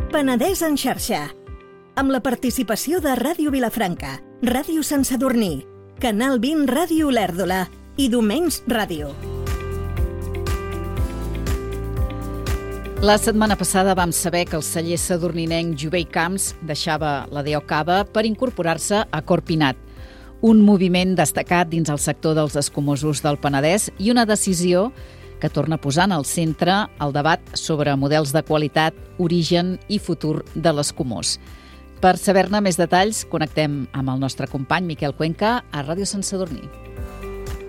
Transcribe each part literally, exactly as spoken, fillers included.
Penedès en xarxa, amb la participació de Ràdio Vilafranca, Ràdio Sant Sadurní, Canal vint Ràdio Olèrdola i Domenys Ràdio. La setmana passada vam saber que el celler sadurninenc Jové i Camps deixava la D O Cava per incorporar-se a Corpinat, un moviment destacat dins el sector dels escumosos del Penedès i una decisió que torna posant al centre el debat sobre models de qualitat, origen i futur de l'escumós. Per saber-ne més detalls, connectem amb el nostre company Miquel Cuenca a Ràdio Sant Sadurní.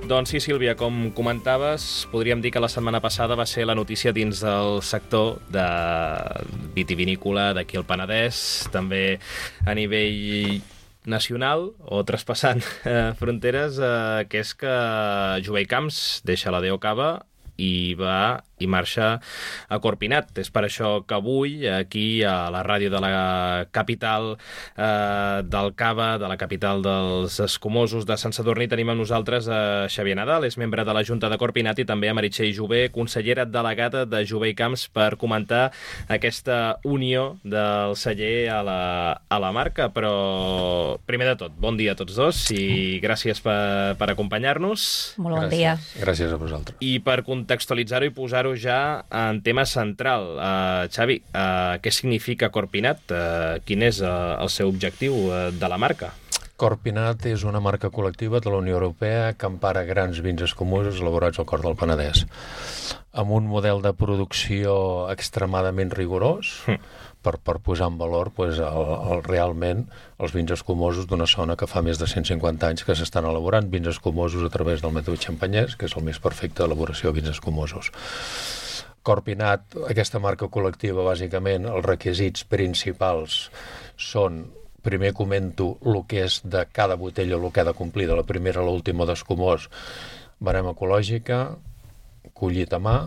Doncs sí, Sílvia, com comentaves, podríem dir que la setmana passada va ser la notícia dins del sector de vitivinícola d'aquí al Penedès, també a nivell nacional o traspassant eh, fronteres, eh, que és que Jové i Camps deixa la D O Cava i va i marxa a Corpinat. És per això que avui, aquí a la ràdio de la capital eh, del Cava, de la capital dels escumosos de Sant Sadurní, tenim amb nosaltres a Xavier Nadal, és membre de la Junta de Corpinat, i també a Meritxell Jové, consellera delegada de Jové i Camps, per comentar aquesta unió del celler a la, a la marca. Però, primer de tot, bon dia a tots dos i gràcies per, per acompanyar-nos. Molt bon dia. Gràcies a vosaltres. I per contextualitzar-ho i posar-ho ja en tema central, uh, Xavi, uh, què significa Corpinat? Uh, quin és uh, el seu objectiu uh, de la marca? Corpinat és una marca col·lectiva de la Unió Europea que empara grans vins escumosos elaborats al cor del Penedès, amb un model de producció extremadament rigorós, mm. per, per posar en valor pues, el, el, realment els vins escumosos d'una zona que fa més de cent cinquanta anys que s'estan elaborant vins escumosos a través del mètode xampanyès, que és el més perfecte d'elaboració de vins escumosos. Corpinat, aquesta marca col·lectiva, bàsicament, els requisits principals són, primer comento el que és de cada botella, el que ha de complir de la primera a l'última d'escumós, barema ecològica, collit a mà,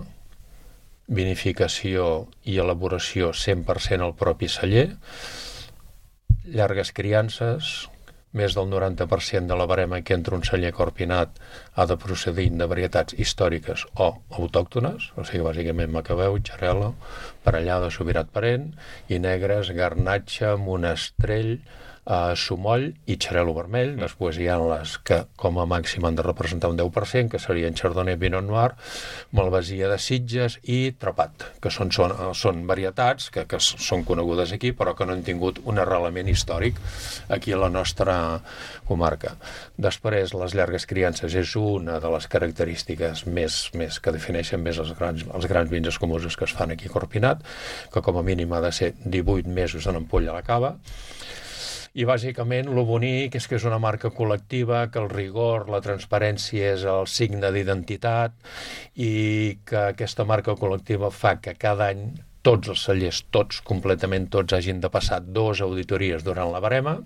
vinificació i elaboració cent per cent al propi celler, llargues criances, més del noranta per cent de la barema que entra un celler Corpinat ha de procedir de varietats històriques o autòctones, o sigui, bàsicament Macabeu, Xarel·la, Parellada, Subirat Parent, i negres, Garnatxa, Monestrell, Uh, Sumoll i Xarel·lo vermell. Després hi ha les que com a màxim han de representar un deu per cent, que serien Chardonnay, Pinot Noir, Malvasia de Sitges i Trepat, que són, són, són varietats que, que són conegudes aquí, però que no han tingut un arrelament històric aquí a la nostra comarca. Després, les llargues criances és una de les característiques més, més que defineixen més els grans, els grans vins escumosos que es fan aquí a Corpinat, que com a mínim ha de ser divuit mesos en ampolla a la cava. I bàsicament el bonic és que és una marca col·lectiva, que el rigor, la transparència és el signe d'identitat i que aquesta marca col·lectiva fa que cada any tots els cellers, tots, completament tots, hagin de passar dues auditories durant la barema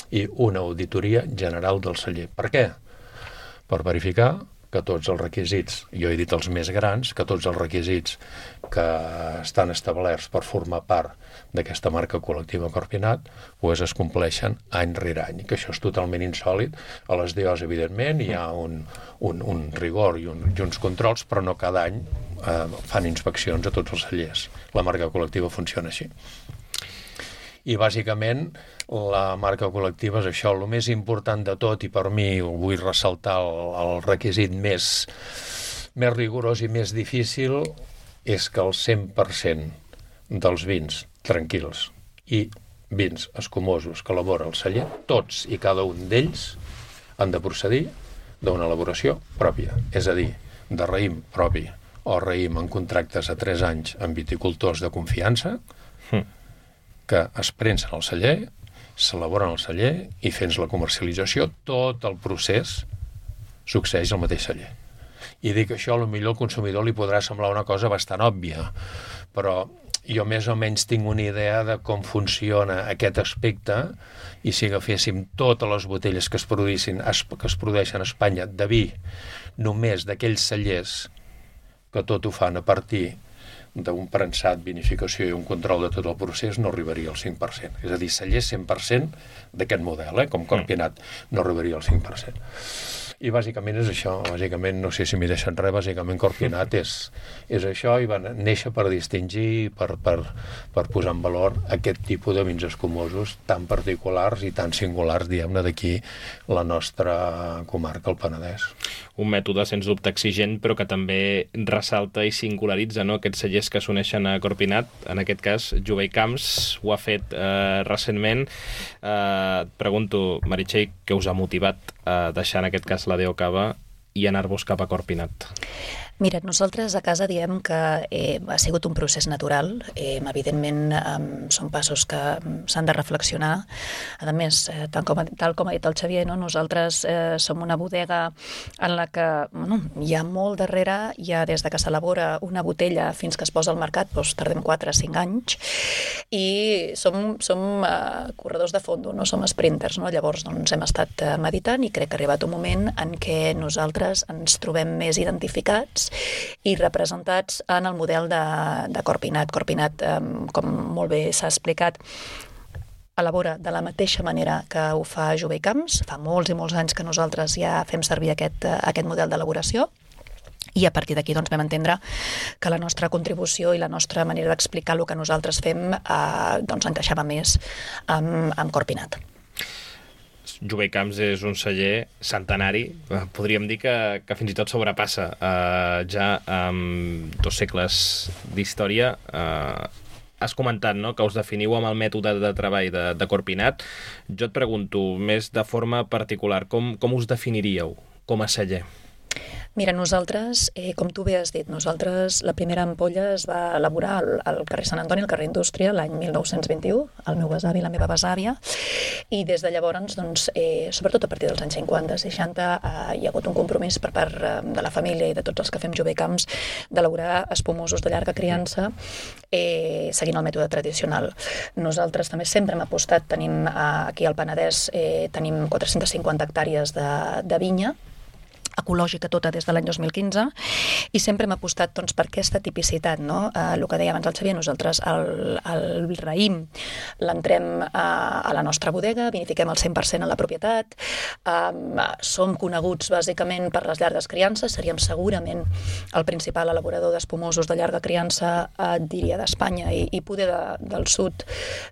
i una auditoria general del celler. Per què? Per verificar que tots els requisits, jo he dit els més grans, que tots els requisits que estan establerts per formar part d'aquesta marca col·lectiva Corpinat pues es compleixen any rere any, que això és totalment insòlit. A les D Os, evidentment, hi ha un, un, un rigor i, un, i uns controls, però no cada any eh, fan inspeccions a tots els cellers. La marca col·lectiva funciona així. I bàsicament la marca col·lectiva és això, el més important de tot, i per mi vull ressaltar el, el requisit més, més rigorós i més difícil, és que el cent per cent dels vins tranquils i vins escumosos que elabora el celler, tots i cada un d'ells han de procedir d'una elaboració pròpia, és a dir, de raïm propi o raïm en contractes a tres anys amb viticultors de confiança, mm. que es prensen al celler, s'elaboren al celler i fent la comercialització, tot el procés succeeix al mateix celler. I dic això, potser al consumidor li podrà semblar una cosa bastant òbvia, però jo més o menys tinc una idea de com funciona aquest aspecte, i si agaféssim totes les botelles que es produïssin, que es produeixen a Espanya de vi, només d'aquells cellers que tot ho fan a partir d'un prensat, vinificació i un control de tot el procés, no arribaria al cinc per cent. És a dir, cellers cent per cent d'aquest model, eh, com Corpinat, no arribaria al cinc per cent. I bàsicament és això, bàsicament, no sé si m'hi deixen res, bàsicament Corpinat és, és això, i va néixer per distingir, per, per, per posar en valor aquest tipus de vins escumosos tan particulars i tan singulars, diguem-ne, d'aquí la nostra comarca, el Penedès. Un mètode, sens dubte, exigent, però que també ressalta i singularitza, no?, aquests cellers que s'uneixen a Corpinat. En aquest cas, Jové i Camps ho ha fet eh, recentment. Eh, et pregunto, Meritxell, què us ha motivat a deixar, en aquest cas, la D O Cava i anar-vos cap a Corpinat? Mira, nosaltres a casa diem que eh, ha sigut un procés natural. Eh, evidentment, eh, són passos que s'han de reflexionar. A més, eh, tal, com, tal com ha dit el Xavier, no? Nosaltres eh, som una bodega en la que bueno, hi ha molt darrere, ja des de que s'elabora una botella fins que es posa al mercat, doncs tardem quatre a cinc anys, i som, som eh, corredors de fondo, no som sprinters, no? Llavors doncs, hem estat eh, meditant i crec que ha arribat un moment en què nosaltres ens trobem més identificats i representats en el model de, de Corpinat. Corpinat, eh, com molt bé s'ha explicat, elabora de la mateixa manera que ho fa Jové i Camps. Fa molts i molts anys que nosaltres ja fem servir aquest, aquest model d'elaboració, i a partir d'aquí doncs, vam entendre que la nostra contribució i la nostra manera d'explicar el que nosaltres fem eh, doncs, encaixava més amb, amb Corpinat. Jové i Camps és un celler centenari, podríem dir que, que fins i tot sobrepassa uh, ja amb dos segles d'història. Uh, has comentat, no?, que us definiu amb el mètode de treball de, de Corpinat. Jo et pregunto, més de forma particular, com, com us definiríeu com a celler? Mira, nosaltres, eh, com tu bé has dit, nosaltres la primera ampolla es va elaborar al, al carrer Sant Antoni, al carrer Indústria, l'any mil nou-cents vint-i-u, el meu besavi i la meva besàvia, i des de llavors, doncs, eh, sobretot a partir dels anys cinquanta, seixanta, eh, hi ha hagut un compromís per part eh, de la família i de tots els que fem Jové i Camps d'elaborar espumosos de llarga criança eh, seguint el mètode tradicional. Nosaltres també sempre hem apostat, tenim eh, aquí al Penedès, eh, tenim quatre-centes cinquanta hectàrees de, de vinya, ecològica tota des de l'any dos mil quinze, i sempre hem apostat doncs, per aquesta tipicitat, no? Eh, el que deia abans el Xavier, nosaltres el, el raïm l'entrem a, a la nostra bodega, vinifiquem el cent per cent a la propietat, eh, som coneguts bàsicament per les llargues criances, seríem segurament el principal elaborador d'espumosos de llarga criança, eh, diria, d'Espanya i, i poder de, del sud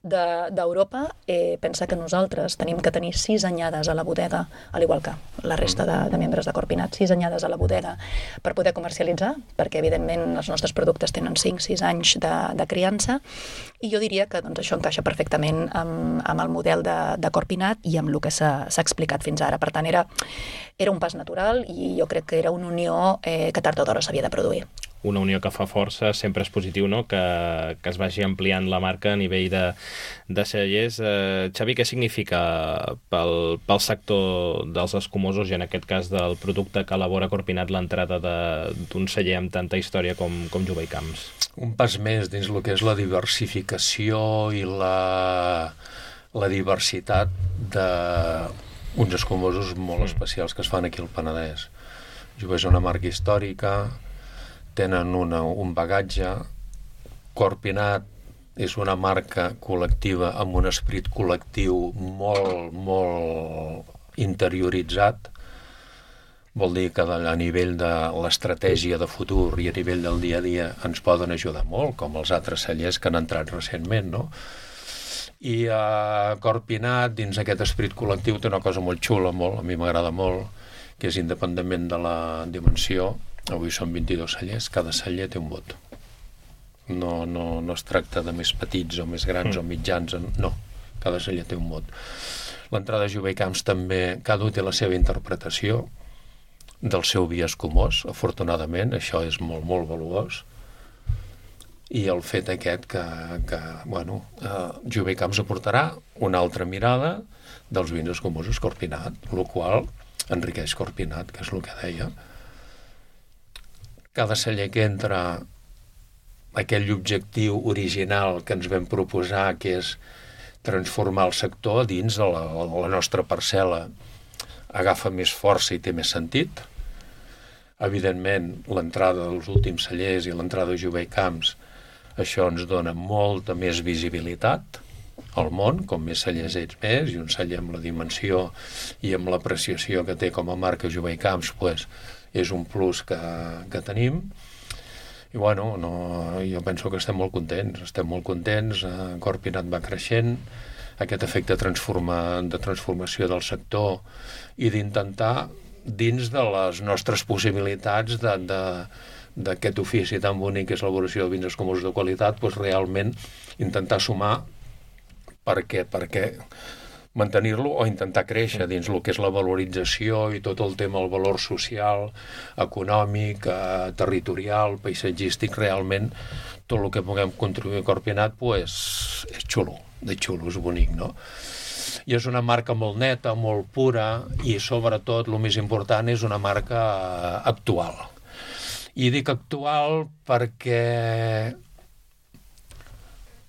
d'Europa. De, eh, pensa que nosaltres tenim que tenir sis anyades a la bodega, al igual que la resta de, de membres de Corpinat, sis anyades a la bodega per poder comercialitzar, perquè evidentment els nostres productes tenen cinc sis anys de, de criança, i jo diria que doncs, això encaixa perfectament amb, amb el model de, de Corpinat i amb el que s'ha explicat fins ara. Per tant, era, era un pas natural i jo crec que era una unió eh, que tard o d'hora s'havia de produir. Una unió que fa força, sempre és positiu, no?, que, que es vagi ampliant la marca a nivell de, de cellers. Eh, Xavi, què significa pel, pel sector dels escumosos i en aquest cas del producte que elabora Corpinat l'entrada d'un celler amb tanta història com, com Jové i Camps? Un pas més dins el que és la diversificació i la, la diversitat d'uns escumosos molt especials que es fan aquí al Penedès. Jové és una marca històrica, tenen una, un bagatge. Corpinat és una marca col·lectiva amb un esperit col·lectiu molt, molt interioritzat. Vol dir que a nivell de l'estratègia de futur i a nivell del dia a dia ens poden ajudar molt, com els altres cellers que han entrat recentment, no? I a Corpinat, dins aquest esperit col·lectiu, té una cosa molt xula, molt, a mi m'agrada molt, que és independentment de la dimensió. Avui són vint-i-dos cellers, cada celler té un vot. No, no, no es tracta de més petits o més grans mm. o mitjans, no, cada celler té un vot. L'entrada de Jové i Camps també, cada un té la seva interpretació del seu vi escumós, afortunadament, això és molt, molt valuós. I el fet aquest que, que bueno, eh, Jové i Camps aportarà una altra mirada dels vins escumosos Corpinat, el qual enriqueix Corpinat, que és el que deia. Cada celler que entra, aquell objectiu original que ens vam proposar, que és transformar el sector dins de la, la nostra parcel·la, agafa més força i té més sentit. Evidentment, l'entrada dels últims cellers i l'entrada de Jové i Camps, això ens dona molta més visibilitat al món, com més cellers ets més, i un celler amb la dimensió i amb l'apreciació que té com a marca Jové i Camps, pues, és un plus que, que tenim. I bueno, no, jo penso que estem molt contents, estem molt contents, eh, Corpinat va creixent, aquest efecte transforma, de transformació del sector i d'intentar, dins de les nostres possibilitats de, de, d'aquest ofici tan bonic que és l'elaboració de vins escumosos de qualitat, doncs realment intentar sumar perquè, perquè mantenir-lo o intentar créixer dins el que és la valorització i tot el tema, el valor social, econòmic, eh, territorial, paisatgístic, realment tot el que puguem contribuir a Corpinat pues, és xulo, de xulo, és bonic, no? I és una marca molt neta, molt pura i sobretot, el més important, és una marca actual. I dic actual perquè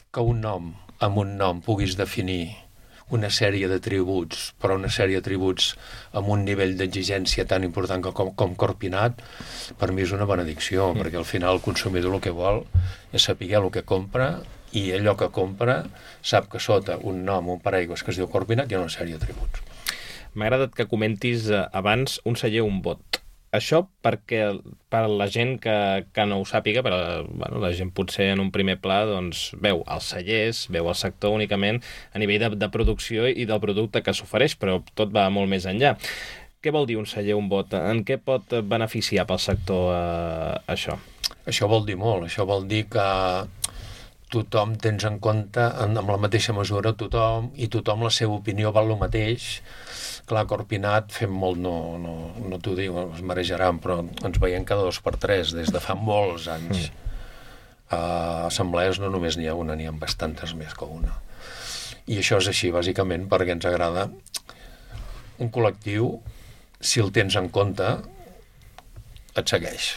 que un nom, amb un nom puguis definir una sèrie d'atributs, però una sèrie d'atributs amb un nivell d'exigència tan important com, com Corpinat, per mi és una benedicció, mm. perquè al final el consumidor el que vol és saber el que compra i allò que compra sap que sota un nom, un paraigües que es diu Corpinat hi ha una sèrie d'atributs. M'ha agradat que comentis abans un celler, un bot. Això perquè per la gent que, que no ho sàpiga, però bueno, la gent potser en un primer pla doncs, veu els cellers, veu el sector únicament a nivell de, de producció i del producte que s'ofereix, però tot va molt més enllà. Què vol dir un celler, un bot? En què pot beneficiar pel sector eh, això? Això vol dir molt. Això vol dir que tothom tens en compte, en, amb la mateixa mesura, tothom, i tothom la seva opinió val el mateix. Clar, Corpinat fem molt, no, no, no t'ho dic, es marejaran, però ens veiem cada dos per tres, des de fa molts anys. Mm. A assemblees no només n'hi ha una, n'hi ha bastantes més que una. I això és així, bàsicament, perquè ens agrada un col·lectiu, si el tens en compte, et segueix.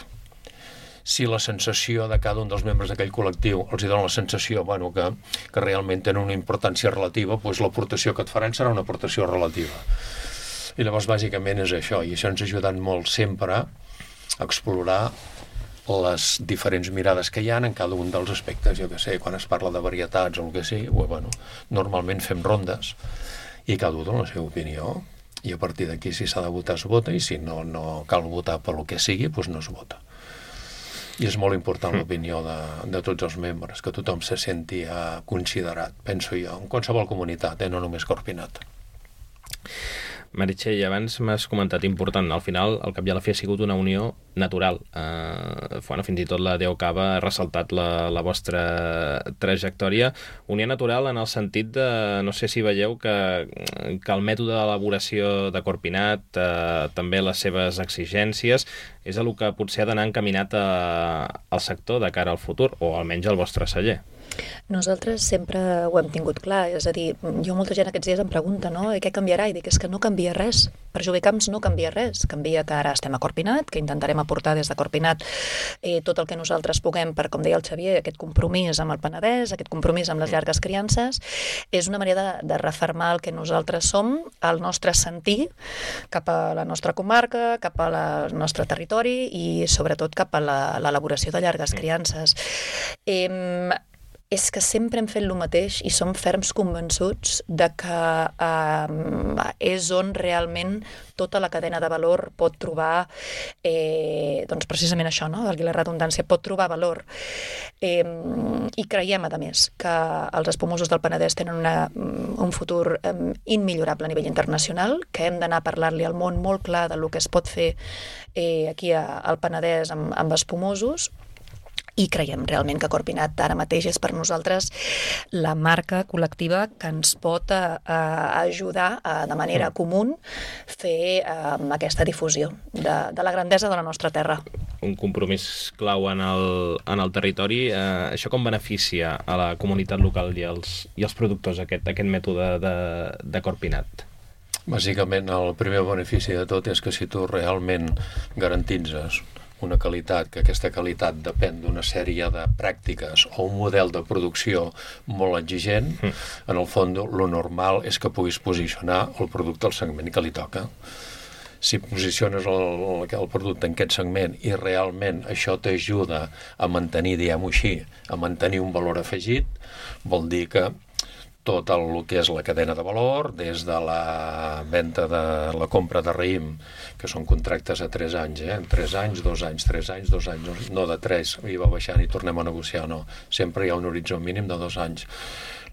Si la sensació de cada un dels membres d'aquell col·lectiu els hi dona la sensació bueno, que, que realment tenen una importància relativa, doncs l'aportació que et faran serà una aportació relativa. I llavors bàsicament és això, i això ens ha ajudat molt sempre a explorar les diferents mirades que hi ha en cada un dels aspectes. Jo que sé, quan es parla de varietats o el que sigui, bueno, normalment fem rondes i cada un dona la seva opinió i a partir d'aquí si s'ha de votar es vota i si no, no cal votar per lo que sigui, doncs no es vota. I és molt important l'opinió de, de tots els membres, que tothom se senti uh, considerat, penso jo, en qualsevol comunitat, eh, no només Corpinat. Meritxell, abans m'has comentat important, al final el cap i a la fi ha sigut una unió natural. Eh, bueno, fins i tot la Déu Cava ha ressaltat la, la vostra trajectòria. Unió natural en el sentit de, no sé si veieu que, que el mètode d'elaboració de Corpinat, eh, també les seves exigències, és el que potser ha d'anar encaminat a, al sector de cara al futur, o almenys al vostre celler. Nosaltres sempre ho hem tingut clar, és a dir, jo molta gent aquests dies em pregunta, no? I què canviarà? I dic, és que no canvia res. Per Jové Camps no canvia res. Canvia que ara estem a Corpinat, que intentarem aportar des de Corpinat eh, tot el que nosaltres puguem per, com deia el Xavier, aquest compromís amb el Penedès, aquest compromís amb les llargues criances. És una manera de, de refermar el que nosaltres som, el nostre sentir cap a la nostra comarca, cap al nostre territori i sobretot cap a l'elaboració de llargues criances. Eh, és que sempre hem fet el mateix i som ferms convençuts de que eh, és on realment tota la cadena de valor pot trobar, eh, doncs precisament això, no? Valgui la redundància, pot trobar valor. Eh, I creiem, a més, que els espumosos del Penedès tenen una, un futur eh, immillorable a nivell internacional, que hem d'anar a parlar-li al món molt clar del que es pot fer eh, aquí a, al Penedès amb, amb espumosos. I creiem realment que Corpinat ara mateix és per nosaltres la marca col·lectiva que ens pot a, a ajudar a, de manera comú fer a, aquesta difusió de, de la grandesa de la nostra terra. Un compromís clau en el, en el territori. Eh, això com beneficia a la comunitat local i els, i els productors aquest, aquest mètode de, de Corpinat? Bàsicament el primer benefici de tot és que si tu realment garantitzes una qualitat, que aquesta qualitat depèn d'una sèrie de pràctiques o un model de producció molt exigent, mm. en el fons, lo normal és que puguis posicionar el producte al segment que li toca. Si posiciones el, el producte en aquest segment i realment això t'ajuda a mantenir, diguem-ho així, a mantenir un valor afegit, vol dir que tot el que és la cadena de valor, des de la venda de la compra de raïm, que són contractes a tres anys, eh? tres anys, dos anys, tres anys, dos anys, no de tres, i va baixant i tornem a negociar, no. Sempre hi ha un horitzó mínim de dos anys.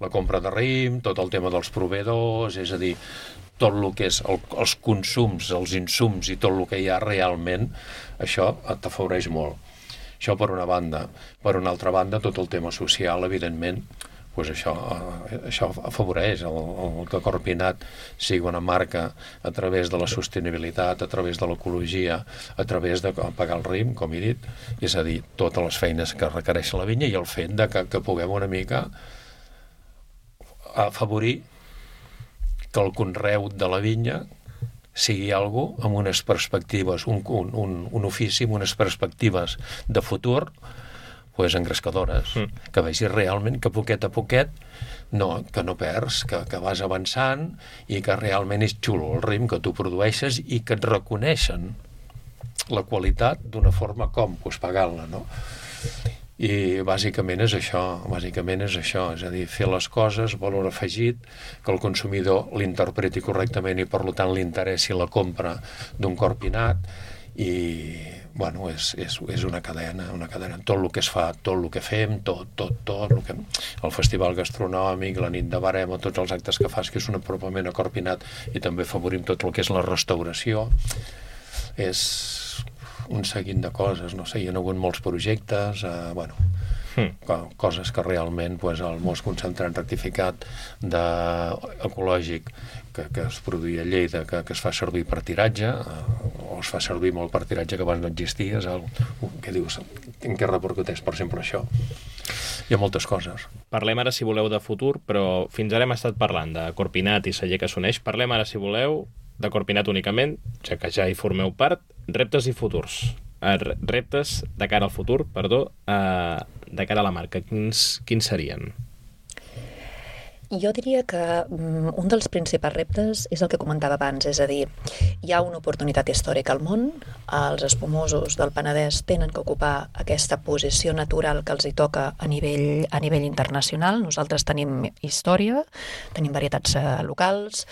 La compra de raïm, tot el tema dels proveïdors, és a dir, tot el que és el, els consums, els insums i tot el que hi ha realment, això t'afavoreix molt. Això per una banda. Per una altra banda, tot el tema social, evidentment, pues això, això afavoreix el, el que Corpinat sigui una marca a través de la sostenibilitat, a través de l'ecologia, a través de pagar el raïm, com he dit, és a dir, totes les feines que requereix la vinya i el fet de que, que puguem una mica afavorir que el conreu de la vinya sigui algo amb unes perspectives, un, un, un, un ofici amb unes perspectives de futur pues, engrescadores, mm. que vegis realment que poquet a poquet no, que no perds, que, que vas avançant i que realment és xulo el raïm que tu produeixes i que et reconeixen la qualitat d'una forma com, pues, pagant-la, no? I bàsicament és això, bàsicament és això, és a dir, fer les coses, valor afegit, que el consumidor l'interpreti correctament i per tant li interessi la compra d'un Corpinat i, bueno, és, és, és una cadena, una cadena, tot el que es fa, tot el que fem, tot, tot, tot, el, que, el festival gastronòmic, la nit de barema, tots els actes que fas, que és un apropament a Corpinat i també favorim tot el que és la restauració, és un seguit de coses, no sé, hi ha hagut molts projectes, eh, bueno, mm. coses que realment, pues, el most concentrat rectificat de, ecològic que, que es produïa a Lleida, que, que es fa servir per tiratge, eh, o es fa servir molt per tiratge que abans no existia, és el, què dius, en què repercuteix per sempre això? Hi ha moltes coses. Parlem ara, si voleu, de futur, però fins ara hem estat parlant de Corpinat i celler que s'uneix. Parlem ara, si voleu, de Corpinat únicament, ja que ja hi formeu part, reptes i futurs. Uh, reptes de cara al futur, perdó, uh, de cara a la marca. Quins, quins serien? Jo diria que um, un dels principals reptes és el que comentava abans, és a dir, hi ha una oportunitat històrica al món, els espumosos del Penedès tenen que ocupar aquesta posició natural que els hi toca a nivell, a nivell internacional. Nosaltres tenim història, tenim varietats uh, locals,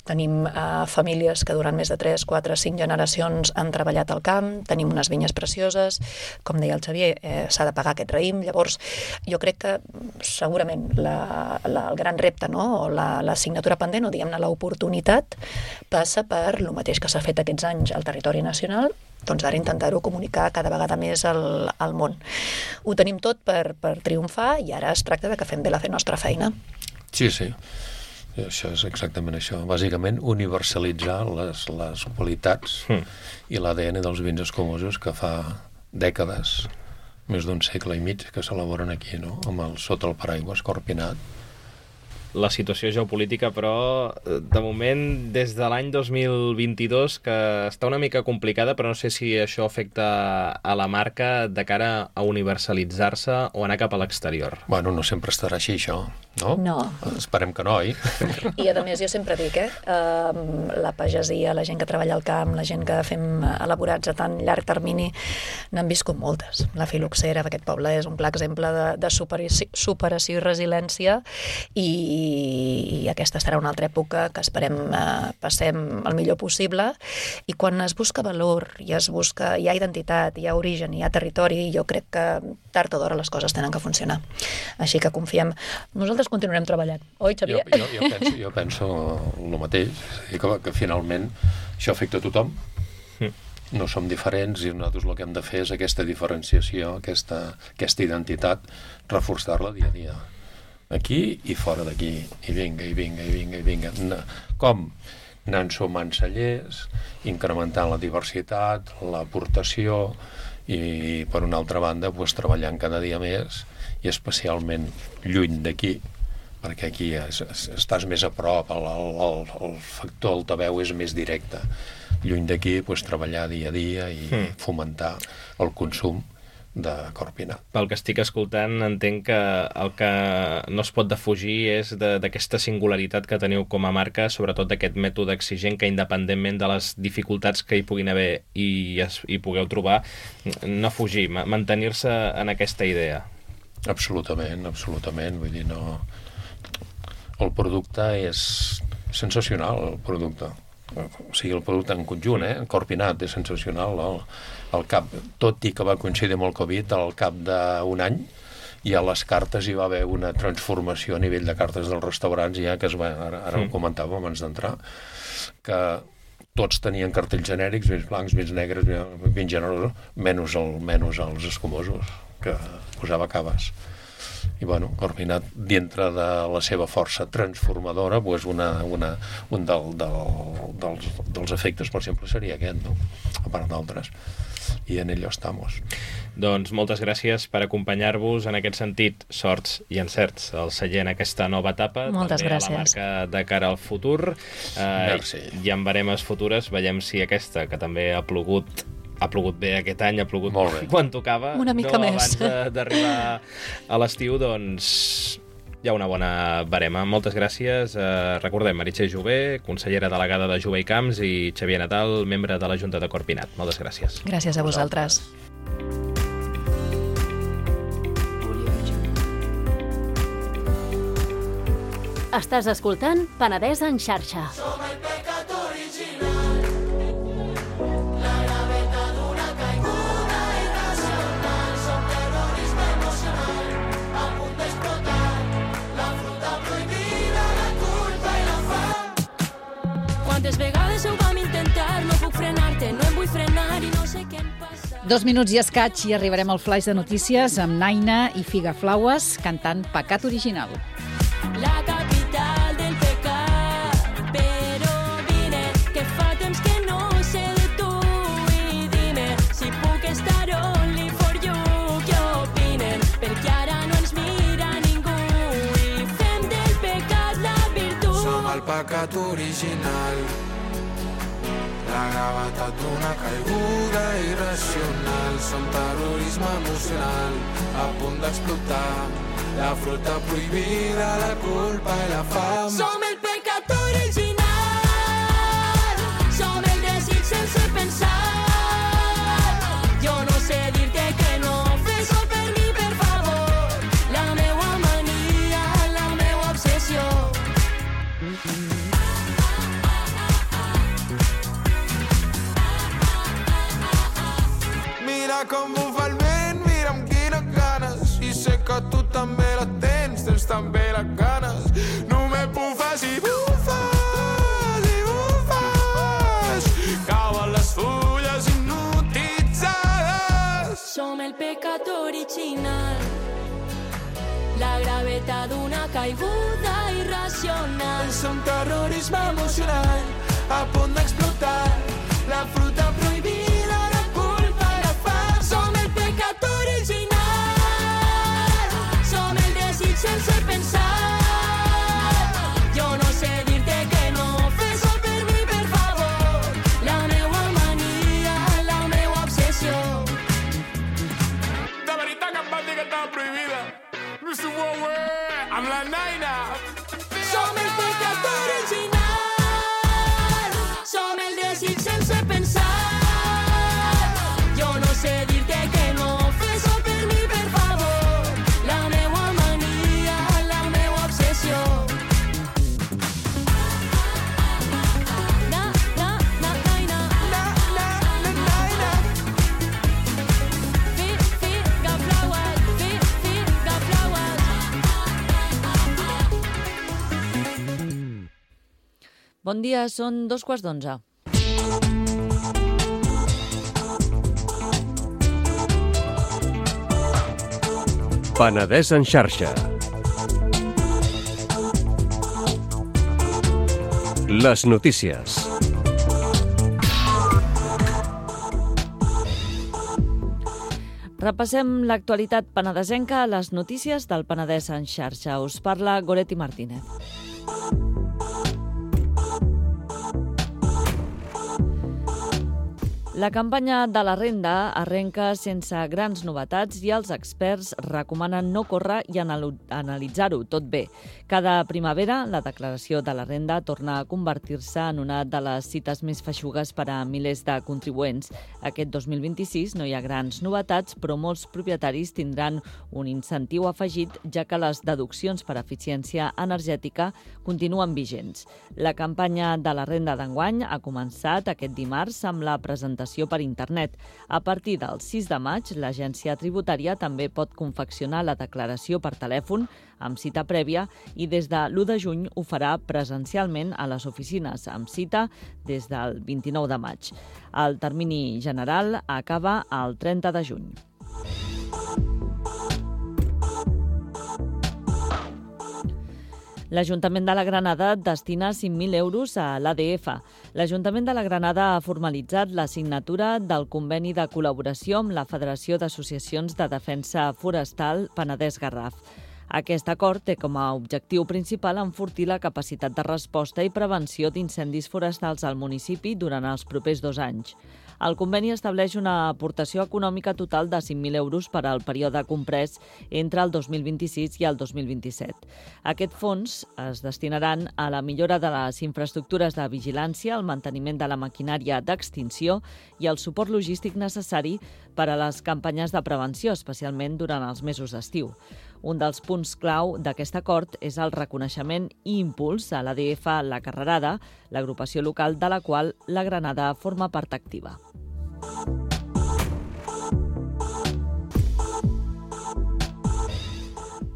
tenim uh, famílies que durant més de tres, quatre, cinc generacions han treballat al camp, tenim unes vinyes precioses, com deia el Xavier, eh, s'ha de pagar aquest raïm, llavors jo crec que segurament la, la, el gran repte, no? O la, la assignatura pendent, o diguem-ne l'oportunitat, passa per el mateix que s'ha fet aquests anys al territori nacional, doncs ara intentar-ho comunicar cada vegada més al, al món. Ho tenim tot per, per triomfar i ara es tracta de que fem bé la nostra feina. Sí, sí. Això és exactament això. Bàsicament, universalitzar les, les qualitats mm. i l'A D N dels vins escumosos que fa dècades, més d'un segle i mig, que s'elaboren aquí, no? Amb el, sota el paraigües Corpinat. La situació geopolítica, però, de moment, des de l'any dos mil vint-i-dos, que està una mica complicada, però no sé si això afecta a la marca de cara a universalitzar-se o anar cap a l'exterior. Bueno, no sempre estarà així, això, no? No. Esperem que no, oi? I, a més, jo sempre dic, eh? Uh, la pagesia, la gent que treballa al camp, la gent que fem elaborats a tan llarg termini, n'han viscut moltes. La Filoxera, aquest poble, és un clar exemple de, de superació, superació i resiliència, i i aquesta serà una altra època que esperem eh, passem el millor possible, i quan es busca valor i es busca, hi ha identitat, hi ha origen, hi ha territori, jo crec que tard o d'hora les coses tenen que funcionar. Així que confiem. Nosaltres continuarem treballant. Oi, Xavier? Jo, jo, jo, penso, jo penso el mateix, que, que finalment això afecta a tothom. No som diferents i nosaltres el que hem de fer és aquesta diferenciació, aquesta, aquesta identitat, reforçar-la dia a dia. Aquí i fora d'aquí, i vinga, i vinga, i vinga, i vinga. Com? Anant sumant cellers, incrementant la diversitat, l'aportació, i per una altra banda, pues, treballant cada dia més, i especialment lluny d'aquí, perquè aquí es, es, estàs més a prop, el, el, el factor altaveu és més directe. Lluny d'aquí, pues, treballar dia a dia i mm. fomentar el consum de Corpinat. Pel que estic escoltant, entenc que el que no es pot defugir és d'aquesta singularitat que teniu com a marca, sobretot d'aquest mètode exigent que, independentment de les dificultats que hi puguin haver i hi pugueu trobar, no fugir, mantenir-se en aquesta idea. Absolutament, absolutament. Vull dir, no... el producte és sensacional, el producte. O sigui, el producte en conjunt, eh? Corpinat, és sensacional. El, el cap, tot i que va coincidir amb el Covid, al cap d'un any, i a les cartes hi va haver una transformació a nivell de cartes dels restaurants, ja que es va, ara, ara mm. ho comentàvem abans d'entrar, que tots tenien cartells genèrics, més blancs, més negres, més generosos, menys, el, menys els escumosos, que posava caves. I, bueno, Corpinat, dintre de la seva força transformadora, pues una, una, un del, del, dels, dels efectes, per exemple, seria aquest, no? A part d'altres. I en ello estamos. Doncs moltes gràcies per acompanyar-vos en aquest sentit, sorts i encerts al celler en aquesta nova etapa. Moltes també gràcies. A la marca de cara al futur. Merci. Eh, I en baremes futures veiem si aquesta, que també ha plogut ha plogut bé aquest any, ha plogut quan tocava. Una mica no, més. Abans d'arribar a l'estiu, doncs hi ha una bona barema. Moltes gràcies. Eh, recordem, Meritxell Jové, consellera delegada de Jové i Camps, i Xavier Natal, membre de la Junta de Corpinat. Moltes gràcies. Gràcies a vosaltres. Estàs escoltant Penedès en xarxa. Som el pecat original, la gravetat d'una caiguda irracional, som terrorisme emocional, a punt d'explotar, la fruta prohibida, la culpa i la fam. Quantes vegades ho vam intentar, no puc frenar-te, no em vull frenar i no sé què em passa. Dos minuts i escaig i arribarem al flaix de notícies amb Naina i Figaflaues cantant Pecat Original. La capital del pecat, però vine, que fa temps que no sé de tu i dime si puc estar only for you, què opinen, perquè ara no ens mira ningú i fem del pecat la virtut. Som el pecat original, la gravetat d'una caiguda irracional, som terrorisme emocional, a punt d'explotar, la fruta prohibida, la culpa i la fam. Som el pecat original, som el desig sense pensar. Jo no sé dir-te que no, fes-ho per mi, per favor. La meua mania, la meua obsessió. Mira com bufa el vent, mira amb quines ganes, i sé que tu també la tens, tens també les ganes. No me bufes i bufes i bufes, cauen les fulles hipnotitzades. Som el pecat original, la gravetat d'una caiguda irracional. Som terrorisme emocional, a punt d'explotar, la fruta prohibida, la culpa i la fam. Som el pecat original, som el desig sense pensar. Jo no sé dir-te que no, fes-ho per mi, per favor. La meua mania, la meua obsessió. De veritat que em van dir que estava prohibida. mister Wowe, amb la Naina. Som el pecat original, som el desig sense pensar. Jo no sé dir-te que no, fes-ho per mi, per favor. La meua mania, la meua obsessió. Na, na, na, naina. Na, na, na, Naina. Fi, fi, gaflaues, fi, fi, gaflaues. Bon dia, són dos quarts d'onze. Penedès en xarxa. Les notícies. Repassem l'actualitat penedesenca a les notícies del Penedès en xarxa. Us parla Goretti Martínez. La campanya de la renda arrenca sense grans novetats i els experts recomanen no córrer i analitzar-ho tot bé. Cada primavera, la declaració de la renda torna a convertir-se en una de les cites més feixugues per a milers de contribuents. Aquest dos mil vint-i-sis no hi ha grans novetats, però molts propietaris tindran un incentiu afegit, ja que les deduccions per eficiència energètica continuen vigents. La campanya de la renda d'enguany ha començat aquest dimarts amb la presentació per internet. A partir del sis de maig, l'agència tributària també pot confeccionar la declaració per telèfon amb cita prèvia i des de l'u de juny ho farà presencialment a les oficines amb cita des del vint-i-nou de maig. El termini general acaba el trenta de juny. L'Ajuntament de la Granada destina cinc mil euros a l'A D F. L'Ajuntament de la Granada ha formalitzat la signatura del conveni de col·laboració amb la Federació d'Associacions de Defensa Forestal Penedès-Garraf. Aquest acord té com a objectiu principal enfortir la capacitat de resposta i prevenció d'incendis forestals al municipi durant els propers dos anys. El conveni estableix una aportació econòmica total de cinc mil euros per al període comprès entre el dos mil vint-i-sis i el dos mil vint-i-set. Aquests fons es destinaran a la millora de les infraestructures de vigilància, el manteniment de la maquinària d'extinció i el suport logístic necessari per a les campanyes de prevenció, especialment durant els mesos d'estiu. Un dels punts clau d'aquest acord és el reconeixement i impuls a l'A D F La Carrerada, l'agrupació local de la qual la Granada forma part activa.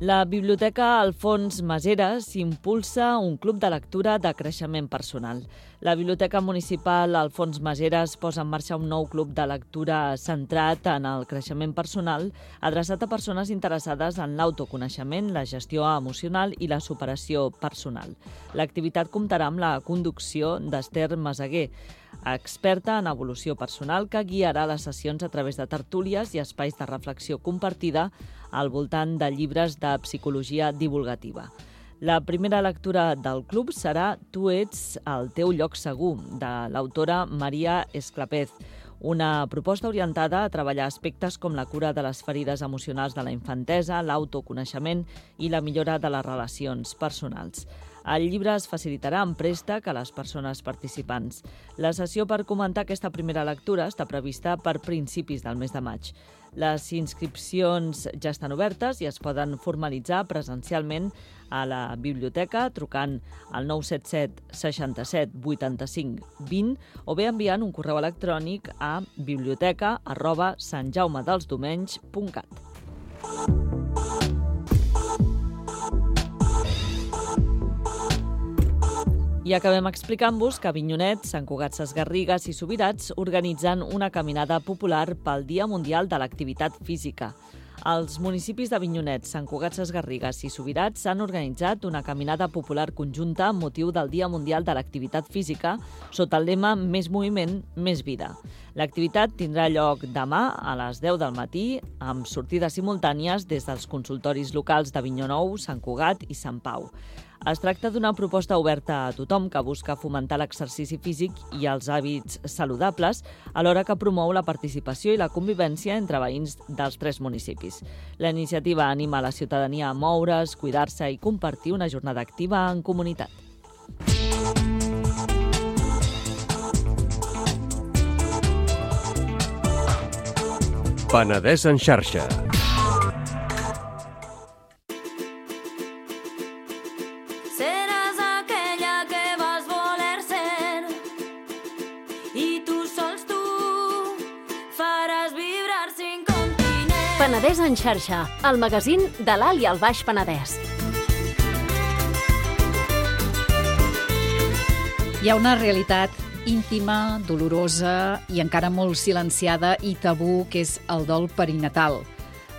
La Biblioteca Alfons Maseras impulsa un club de lectura de creixement personal. La Biblioteca Municipal Alfons Maseras posa en marxa un nou club de lectura centrat en el creixement personal, adreçat a persones interessades en l'autoconeixement, la gestió emocional i la superació personal. L'activitat comptarà amb la conducció d'Esther Meseguer, experta en evolució personal, que guiarà les sessions a través de tertúlies i espais de reflexió compartida al voltant de llibres de psicologia divulgativa. La primera lectura del club serà Tu ets al teu lloc segur, de l'autora Maria Esclapez, una proposta orientada a treballar aspectes com la cura de les ferides emocionals de la infantesa, l'autoconeixement i la millora de les relacions personals. El llibre es facilitarà en préstec a les persones participants. La sessió per comentar aquesta primera lectura està prevista per principis del mes de maig. Les inscripcions ja estan obertes i es poden formalitzar presencialment a la biblioteca trucant al nou set set seixanta-set vuitanta-cinc vint o bé enviant un correu electrònic a biblioteca arroba santjaumedelsdomenys punt cat. I acabem explicant-vos que Avinyonet, Sant Cugat Sesgarrigues i Subirats organitzen una caminada popular pel Dia Mundial de l'Activitat Física. Els municipis d'Avinyonet, Sant Cugat Sesgarrigues i Subirats han organitzat una caminada popular conjunta amb motiu del Dia Mundial de l'Activitat Física sota el lema Més moviment, més vida. L'activitat tindrà lloc demà a les deu del matí amb sortides simultànies des dels consultoris locals d'Avinyó Nou, Sant Cugat i Sant Pau. Es tracta d'una proposta oberta a tothom que busca fomentar l'exercici físic i els hàbits saludables, alhora que promou la participació i la convivència entre veïns dels tres municipis. La iniciativa anima a la ciutadania a moure's, cuidar-se i compartir una jornada activa en comunitat. Penedès en xarxa. Penedès en xarxa, el magazín de l'Alt i el Baix Penedès. Hi ha una realitat íntima, dolorosa i encara molt silenciada i tabú, que és el dol perinatal.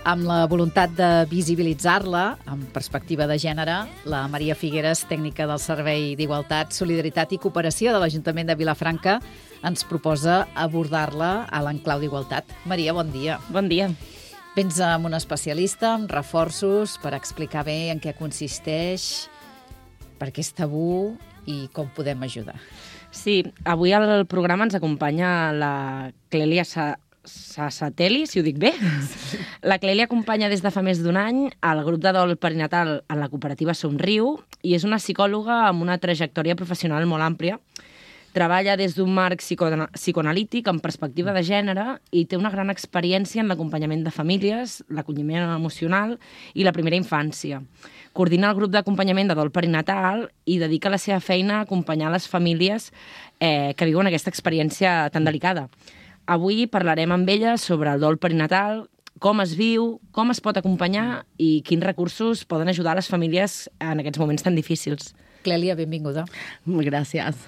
Amb la voluntat de visibilitzar-la, amb perspectiva de gènere, la Maria Figueres, tècnica del Servei d'Igualtat, Solidaritat i Cooperació de l'Ajuntament de Vilafranca, ens proposa abordar-la a l'enclau d'Igualtat. Maria, bon dia. Bon dia. Vens amb un especialista, amb reforços, per explicar bé en què consisteix, per què és tabú i com podem ajudar. Sí, avui al programa ens acompanya la Clèlia Sa Sassatelli, si ho dic bé. La Clèlia acompanya des de fa més d'un any al grup de dol perinatal en la cooperativa Somriu i és una psicòloga amb una trajectòria professional molt àmplia. Treballa des d'un marc psico psicoanalític amb perspectiva de gènere i té una gran experiència en l'acompanyament de famílies, l'acolliment emocional i la primera infància. Coordina el grup d'acompanyament de dol perinatal i dedica la seva feina a acompanyar les famílies eh, que viuen aquesta experiència tan delicada. Avui parlarem amb ella sobre el dol perinatal, com es viu, com es pot acompanyar i quins recursos poden ajudar les famílies en aquests moments tan difícils. Clèlia, benvinguda. Gràcies.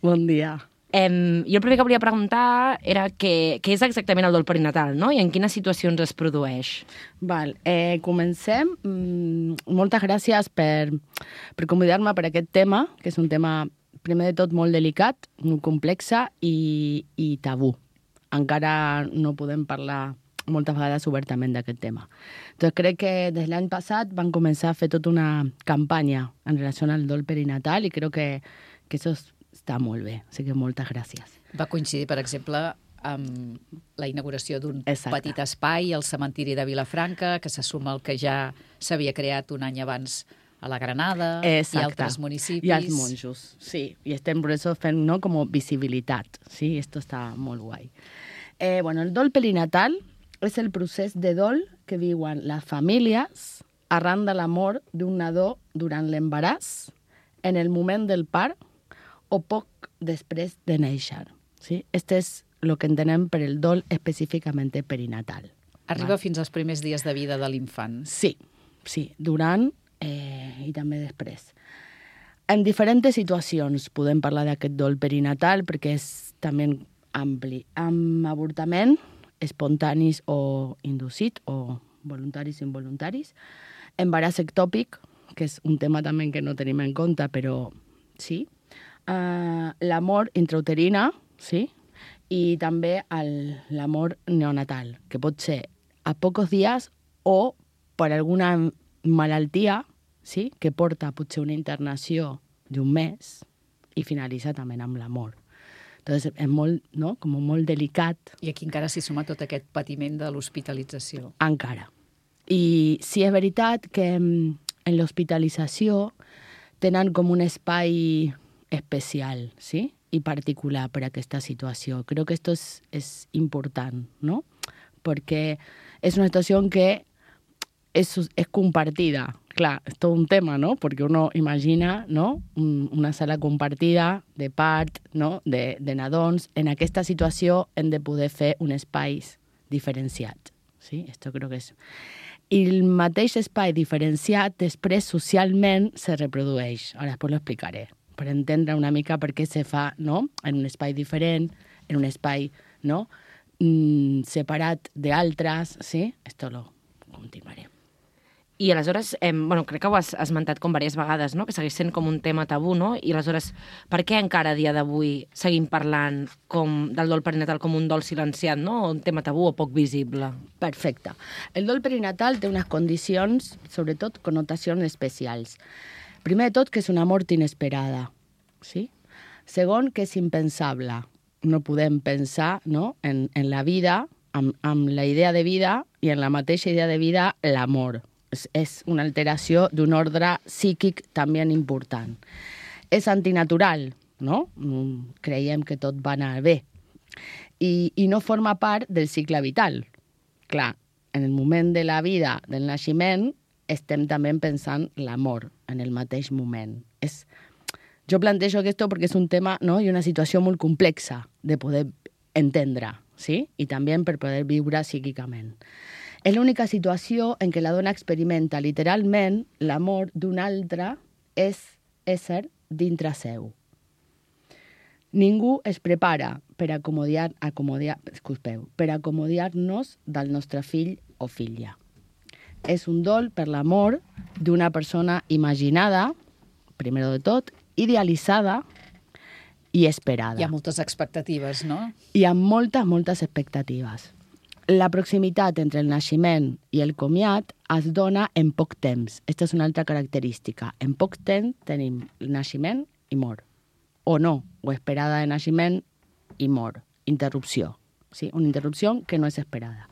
Bon dia. Eh, jo el primer que volia preguntar era què, què és exactament el dol perinatal, no? I en quines situacions es produeix? Val, eh, comencem. Mm, moltes gràcies per, per convidar-me per aquest tema, que és un tema, primer de tot, molt delicat, molt complexa i, i tabú. Encara no podem parlar moltes vegades obertament d'aquest tema. Doncs crec que des l'any passat van començar a fer tota una campanya en relació al dol perinatal i crec que, que això està molt bé. Així que moltes gràcies. Va coincidir, per exemple, amb la inauguració d'un petit espai al cementiri de Vilafranca, que se suma al que ja s'havia creat un any abans a la Granada. Exacte. I altres municipis. I als monjos, sí. I estem per això fent, no, com visibilitat. Sí, esto està molt guai. Eh, bueno, el dol perinatal és el procés de dol que viuen les famílies arran de la mort d'un nadó durant l'embaràs, en el moment del part o poc després de néixer. Sí? Este és el que entenem per el dol específicament perinatal. Arriba Va. fins als primers dies de vida de l'infant. Sí, sí, durant eh, i també després. En diferents situacions podem parlar d'aquest dol perinatal perquè és també ampli. Amb avortament, espontanis o inducit, o voluntaris i involuntaris. Embaràs ectòpic, que és un tema també que no tenim en compte, però sí. Uh, la mort intrauterina, sí. I també el, la mort neonatal, que pot ser a pocs dies o per alguna malaltia, sí, que porta potser una internació d'un mes i finalitza també amb la mort. Entonces, és molt, no? Com molt delicat. I aquí encara s'hi suma tot aquest patiment de l'hospitalització. Encara. I sí, és veritat que en l'hospitalització tenen com un espai especial, sí? I particular per a aquesta situació. Crec que això és, és important, no? Perquè és una situació en què és, és compartida. Clar, és tot un tema, no? Perquè uno imagina, no? Una sala compartida de part, no? De, de nadons. En aquesta situació hem de poder fer un espai diferenciat. Sí? Esto creo que és... I el mateix espai diferenciat després socialment se reprodueix. Ara després lo explicaré, per entendre una mica per què se fa, no? En un espai diferent, en un espai, no? Mm, separat d'altres, sí? Esto lo continuaré. I aleshores, eh, bueno, crec que ho has esmentat com diverses vegades, no? Que segueix sent com un tema tabú, no? I aleshores, per què encara a dia d'avui seguim parlant com del dol perinatal com un dol silenciat, no? Un tema tabú o poc visible? Perfecte. El dol perinatal té unes condicions, sobretot connotacions especials. Primer de tot, que és una mort inesperada, sí? Segon, que és impensable. No podem pensar, no? en, en la vida, amb, amb la idea de vida i en la mateixa idea de vida, l'amor. És una alteració d'un ordre psíquic també important. És antinatural, no? Creiem que tot va anar bé. I, i no forma part del cicle vital. Clar, en el moment de la vida, del naixement, estem també pensant l'amor en el mateix moment. És, jo plantejo aquest perquè és un tema, no? I una situació molt complexa de poder entendre, sí? I també per poder viure psíquicament. És l'única situació en què la dona experimenta literalment l'amor d'un altre és ésser dintre seu. Ningú es prepara per acomodar, acomodar, disculpeu, per acomodar-nos del nostre fill o filla. És un dol per l'amor d'una persona imaginada, primer de tot, idealitzada i esperada. Hi ha moltes expectatives, no? Hi ha moltes, moltes expectatives. La proximitat entre el naixement i el comiat es dona en poc temps. Aquesta és una altra característica. En poc temps tenim el naixement i mort. o no, o esperada de naixement i mort, interrupció. Sí? Una interrupció que no és esperada.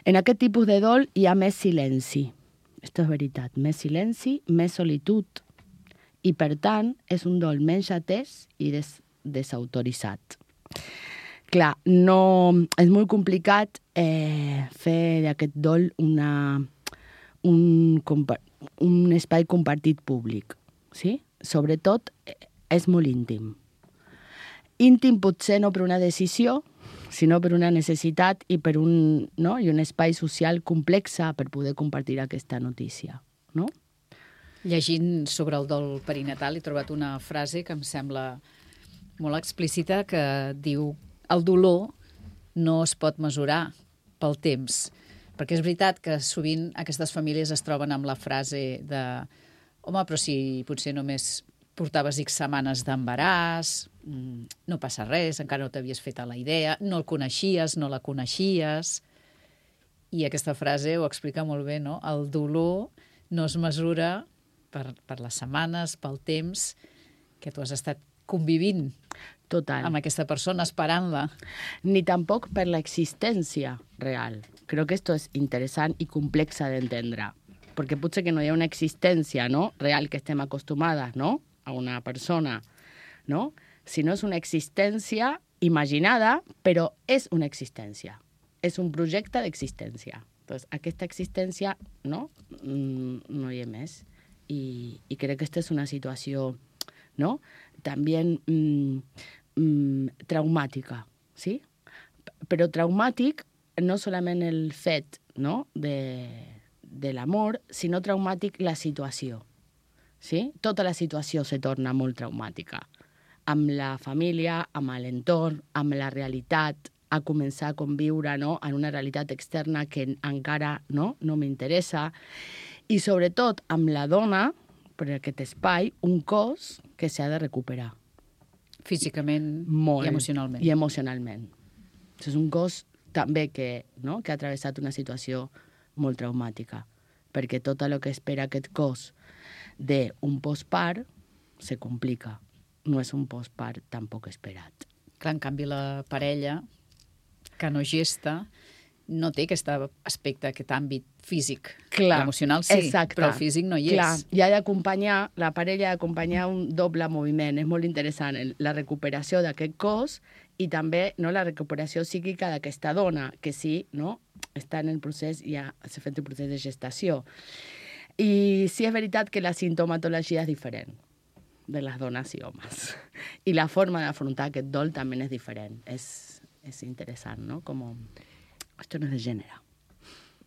En aquest tipus de dol hi ha més silenci. Això és veritat. Més silenci, més solitud. I, per tant, és un dol menys atès i des desautoritzat. Clar, no, és molt complicat eh, fer d'aquest dol una, un, un espai compartit públic. Sí? Sobretot, és molt íntim. Íntim potser no per una decisió, sinó per una necessitat i per un, no? I un espai social complexa per poder compartir aquesta notícia. No? Llegint sobre el dol perinatal he trobat una frase que em sembla molt explícita que diu el dolor no es pot mesurar pel temps. Perquè és veritat que sovint aquestes famílies es troben amb la frase de home, però si potser només portaves X setmanes d'embaràs, no passa res, encara no t'havies fet a la idea, no el coneixies, no la coneixies. I aquesta frase ho explica molt bé, no? El dolor no es mesura per, per les setmanes, pel temps que tu has estat convivint Total. Amb aquesta persona, esperant-la. Ni tampoc per l'existència real. Crec que esto és interessant i complexa d'entendre. Perquè potser que no hi ha una existència, no? Real que estem acostumades, no? A una persona, no? Sinó és una existència imaginada, però és una existència. És un projecte d'existència. Entonces, aquesta existència, no? Mm, no hi ha més. I, i crec que aquesta és una situació, no? També mm, mm, traumàtica, sí? Però traumàtic no solament el fet, no? de, de l'amor, sinó traumàtic la situació. Sí? Tota la situació se torna molt traumàtica. Amb la família, amb l'entorn, amb la realitat, a començar a conviure, no? En una realitat externa que encara no, no m'interessa. I sobretot amb la dona, per aquest espai, un cos que s'ha de recuperar. Físicament molt, i emocionalment. I emocionalment. És un cos també que, no? que ha travessat una situació molt traumàtica, perquè tot el que espera aquest cos d'un postpart se complica. No és un postpart tampoc esperat. Clar, en canvi, la parella que no gesta no té aquest aspecte, aquest àmbit físic. Clar, emocional sí, exacte. Però el físic no hi és. Clar, i ha d'acompanyar, la parella ha d'acompanyar un doble moviment. És molt interessant la recuperació d'aquest cos i també no, la recuperació psíquica d'aquesta dona, que sí, no, està en el procés, ja s'ha fet el procés de gestació. I sí és veritat que la sintomatologia és diferent de les dones i homes. I la forma d'afrontar aquest dol també és diferent. És, és interessant, no? Com... Esto no és de gènere.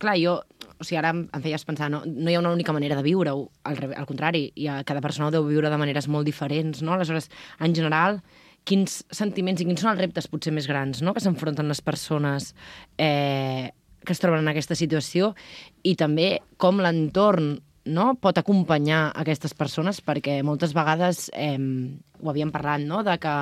Clar, jo, o sigui, ara em feies pensar, no, no hi ha una única manera de viure-ho, al, al contrari, hi ha, cada persona ho deu viure de maneres molt diferents, no? Aleshores, en general, quins sentiments i quins són els reptes potser més grans, no?, que s'enfronten les persones eh, que es troben en aquesta situació i també com l'entorn, no?, pot acompanyar aquestes persones, perquè moltes vegades eh, ho havíem parlat, no?, de que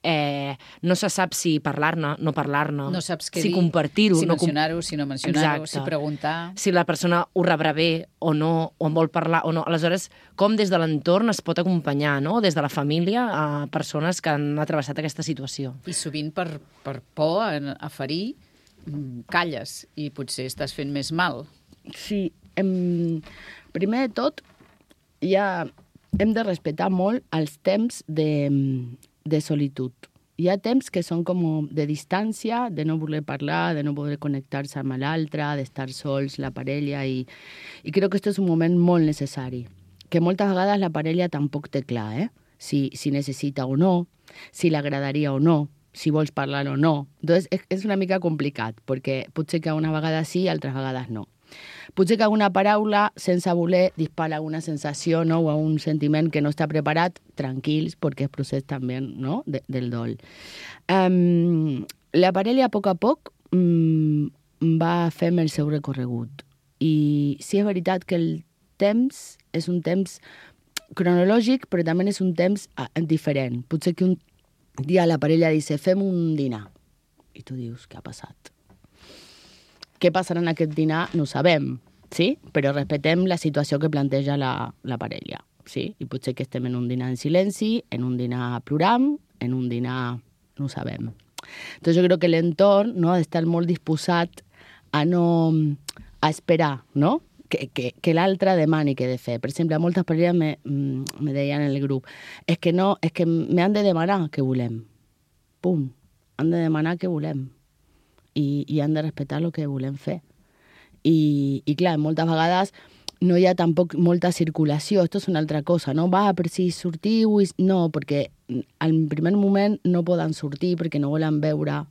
eh, no se sap si parlar-ne, no parlar-ne, no saps què si dir, compartir-ho, si no mencionar-ho, si no mencionar-ho, si preguntar... Si la persona ho rebrà bé o no, o en vol parlar o no. Aleshores, com des de l'entorn es pot acompanyar, no?, des de la família, a persones que han atravessat aquesta situació. I sovint per, per por a, a ferir, calles i potser estàs fent més mal. Sí, em... primer de tot, ja hem de respectar molt els temps de, de solitud. Hi ha temps que són com de distància, de no voler parlar, de no poder connectar-se amb l'altre, d'estar sols, la parella, i, i crec que aquest és un moment molt necessari, que moltes vegades la parella tampoc té clar, eh? Si, si necessita o no, si l'agradaria o no, si vols parlar o no. Entonces, és, és una mica complicat, perquè potser que una vegada sí, altres vegades no. Potser que alguna paraula, sense voler, dispara alguna sensació, no?, o un sentiment que no està preparat, tranquils, perquè és procés també, no?, de, del dol. Um, la parella, a poc a poc, um, va fent el seu recorregut. I sí és veritat que el temps és un temps cronològic, però també és un temps uh, diferent. Potser que un dia la parella dice, fem un dinar. I tu dius, què ha passat? Què passarà en aquest dinar no ho sabem, sí? Però respectem la situació que planteja la, la parella. sí? I potser que estem en un dinar en silenci, en un dinar plorant, en un dinar... no ho sabem. Entonces jo crec que l'entorn, no, ha d'estar molt disposat a no... a esperar, no? Que, que, que l'altre demani què he de fer. Per exemple, moltes parelles me, me deien en el grup és que no, és que m'han de demanar què volem. Pum. Han de demanar què volem. I, i han de respectar el que volem fer. I, i clar, moltes vegades no hi ha tampoc molta circulació. Esto és una altra cosa, no? Va, per si sortiu... I... No, perquè al primer moment no poden sortir perquè no volen veure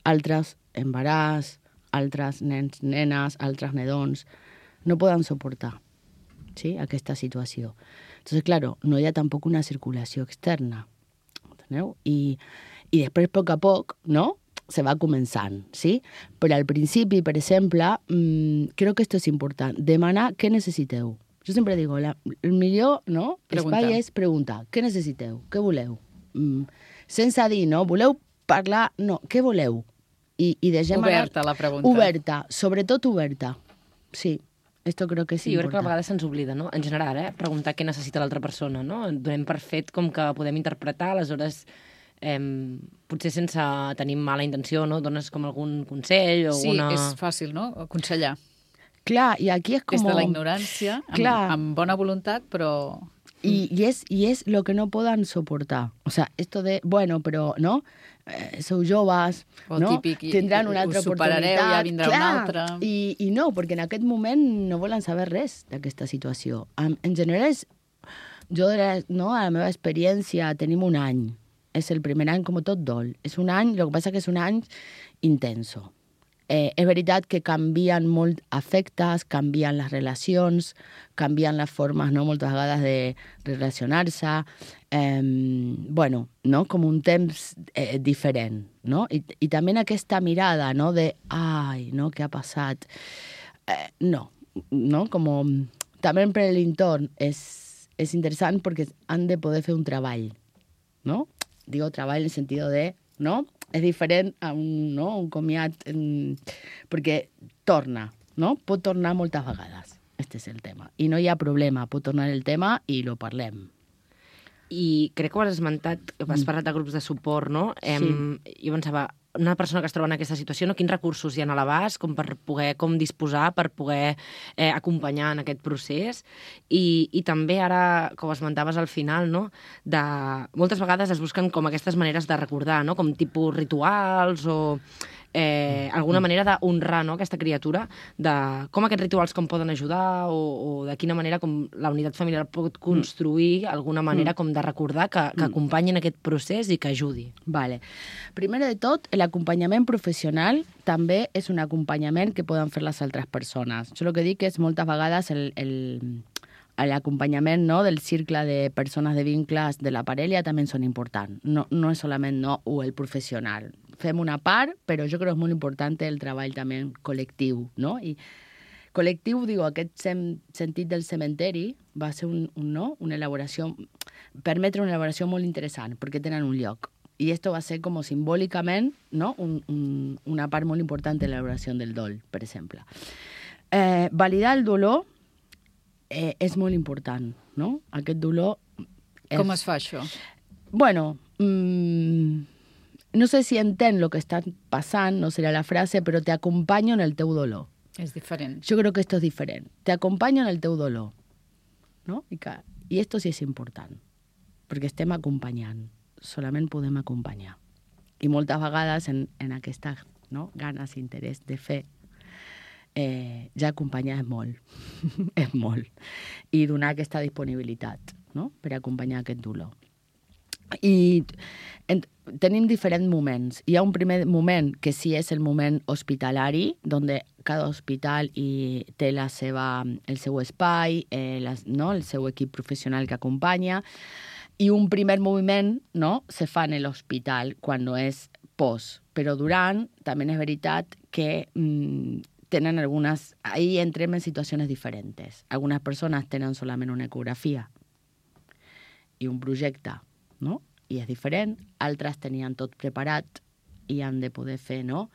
altres embaràs, altres nens, nenes, altres nedons. No poden suportar, sí, aquesta situació. Entonces, claro, no hi ha tampoc una circulació externa. Enteneu? I, i després, a poc a poc, no?, se va començant, sí? Però al principi, per exemple, mmm, crec que esto és important, demanar què necessiteu. Jo sempre digo, la, el millor, no?, espai és preguntar, què necessiteu, què voleu? Mm, sense dir, no?, voleu parlar, no, què voleu? I, i deixem oberta anar... la pregunta. Oberta, sobretot oberta, sí. Esto creo que és sí, jo crec que a important. vegades se'ns oblida, no? En general, eh? Preguntar què necessita l'altra persona, no? Donem per fet com que podem interpretar, aleshores... Eh, potser sense tenir mala intenció, no? Dones com algun consell o sí, alguna... és fàcil, no?, aconsellar. Clar, i aquí és com... Des de la ignorància, amb, amb bona voluntat, però... I, i, és, I és lo que no poden soportar. O sea, esto de, bueno, però, no? Eh, sou joves, o no? Típic, tindran una altra oportunitat. Ja vindrà clar, una altra. I, I no, perquè en aquest moment no volen saber res d'aquesta situació. En, en general, és, jo, no, a la meva experiència, tenim un any. És el primer any com tot dol. És un any, el que passa que és un any intenso. Eh, és veritat que canvien molt afectes, canvien les relacions, canvien les formes, no?, moltes vegades de relacionar-se. Eh, bueno, no?, com un temps eh, diferent, no? I, I també aquesta mirada, no?, de ai, no?, què ha passat? Eh, no, no?, com... També per l'entorn és, és interessant perquè han de poder fer un treball, no? Digo treball en el sentido de, no? És diferent a un, no? un comiat, en... perquè torna, no? Pot tornar moltes vegades. Este és el tema. I no hi ha problema, pot tornar el tema i lo parlem. I crec que ho has esmentat, has parlat de grups de suport, no? Sí. Em, jo pensava, una persona que es troba en aquesta situació, no? Quins recursos hi ha a l'abast com per poder com disposar, per poder eh, acompanyar en aquest procés? I, I també ara, com esmentaves al final, no? De, moltes vegades es busquen com aquestes maneres de recordar, no? Com tipus rituals o... Eh, alguna manera d'honrar, no?, aquesta criatura, de com aquests rituals com poden ajudar o, o de quina manera com la unitat familiar pot construir alguna manera com de recordar que, que acompanyin aquest procés i que ajudi. Vale. Primer de tot, l'acompanyament professional també és un acompanyament que poden fer les altres persones. Jo el que dic és moltes vegades el... el l'acompanyament, no?, del cercle de persones de vincles de la parella també són importants. No, no és solament no, o el professional. Fem una part, però jo crec que és molt important el treball també col·lectiu, no? I col·lectiu, digo, aquest sem sentit del cementeri va ser un, un, no? una elaboració, permetre una elaboració molt interessant, perquè tenen un lloc. I esto va ser com simbòlicament, no? un, un, una part molt important de l'elaboració del dol, per exemple. Eh, validar el dolor Eh, és molt important, no? Aquest dolor... És... Com es fa això? Bueno, mmm, no sé si entén el que està passant, no serà la frase, però te acompanyo en el teu dolor. És diferent. Jo crec que esto és diferent. Te acompanyo en el teu dolor, no? I, que, i esto sí és important, perquè estem acompanyant. Solament podem acompanyar. I moltes vegades en, en aquesta, no?, ganes i interès de fer Eh, ja acompanyar és molt, és molt. I donar aquesta disponibilitat, no?, per acompanyar aquest dolor. I en, tenim diferents moments. Hi ha un primer moment que sí és el moment hospitalari, on cada hospital i té la seva, el seu espai, eh, les, no?, el seu equip professional que acompanya, i un primer moviment, no?, se fa en l'hospital quan no és post. Però durant, també és veritat que... Mm, tenen algunes... Ahí entrem en situacions diferents. Algunes persones tenen solament una ecografia i un projecte, no?, i és diferent. Altres tenien tot preparat i han de poder fer, no?,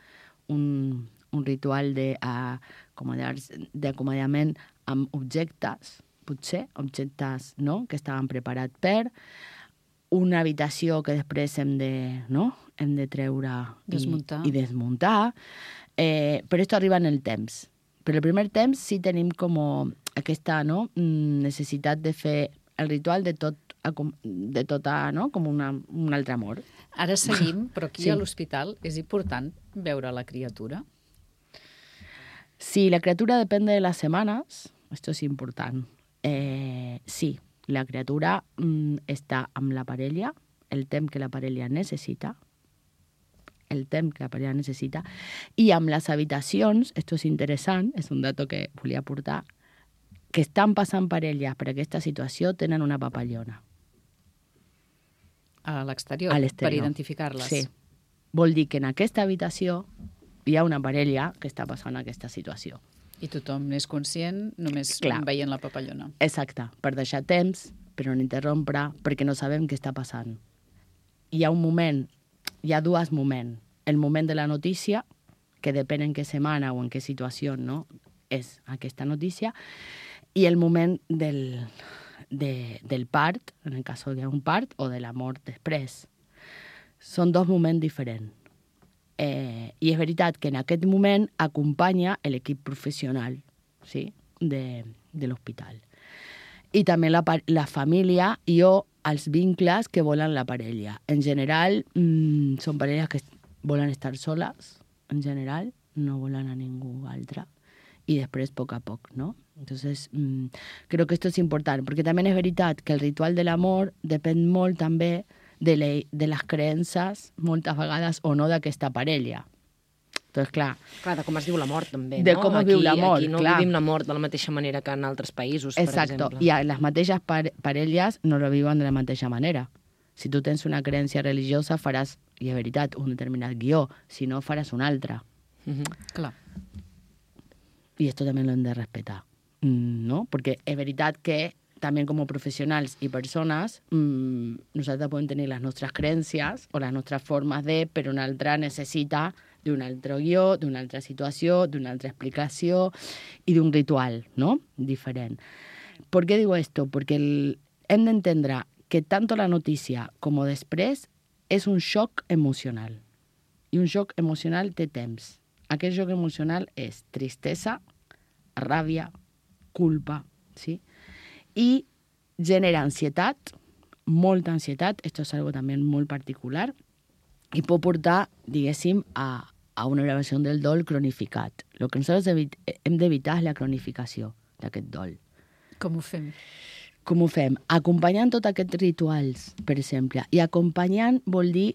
un, un ritual d'acomiadament amb objectes, potser, objectes, no?, que estaven preparats per, una habitació que després hem de, no?, hem de treure i Desmuntar. i desmuntar, eh, però això arriba en el temps. Però el primer temps sí tenim com aquesta, no?, mm, necessitat de fer el ritual de tot, acom- de tota, no?, com una, un altre amor. Ara seguim, però aquí Sí. a l'hospital és important veure la criatura. Si la criatura depende de las semanas, esto es important. Eh, sí, la criatura mm, està amb la parella, el temps que la parella necessita, el temps que la parella necessita, i amb les habitacions, esto és interessant, és un dato que volia aportar, que estan passant parelles per aquesta situació tenen una papallona. A l'exterior, A l'exterior. per identificar-les. Sí. Vol dir que en aquesta habitació hi ha una parella que està passant aquesta situació. I tothom n'és conscient només Clar. veient la papallona. Exacte, per deixar temps, per no interrompre, perquè no sabem què està passant. Hi ha un moment, hi ha dos moments. El moment de la notícia, que depèn en què setmana o en què situació, no?, és aquesta notícia, i el moment del, de, del part, en el cas que hi ha un part, o de la mort després. Són dos moments diferents. Eh, I és veritat que en aquest moment acompanya l'equip professional, sí?, de, de l'hospital. I també la, pa- la família i o els vincles que volen la parella. En general, mmm, són parelles que volen estar soles, en general, no volen a ningú altre. Y després, poc a poc, ¿no? Entonces, mmm, creo que esto es important, perquè també és veritat que el ritual de l'amor depèn molt també de, le, de les creences, moltes vegades o no, d'aquesta parella. Entonces, clar... Clar, de com es diu la mort, també, de no? com es aquí, viu la mort, Aquí no clar. vivim la mort de la mateixa manera que en altres països, Exacto. per exemple. I a les mateixes par parelles no lo viuen de la mateixa manera. Si tu tens una creencia religiosa, faràs, i és veritat, un determinat guió. Si no, faràs un altre. Mm-hmm. Clar. I esto també lo hem de respetar, mm, no? Perquè és veritat que també com a professionals i persones mmm, nosaltres podem tenir les nostres creences o les nostres formes de, però un altre necessita d'un altre guió, d'una altra situació, d'una altra explicació i d'un ritual, ¿no?, diferent. ¿Por qué digo esto? Porque el, hem d'entendre que tanto la notícia com després és un xoc emocional. I un xoc emocional té temps. Aquest xoc emocional és tristesa, ràbia, culpa, ¿sí? I genera ansietat, molta ansietat, esto és algo també molt particular, i pot portar, diguéssim, a, a una elevació del dol cronificat. El que nosaltres evit hem d'evitar és la cronificació d'aquest dol. Com ho fem? Com ho fem? Acompanyant tots aquests rituals, per exemple. I acompanyant vol dir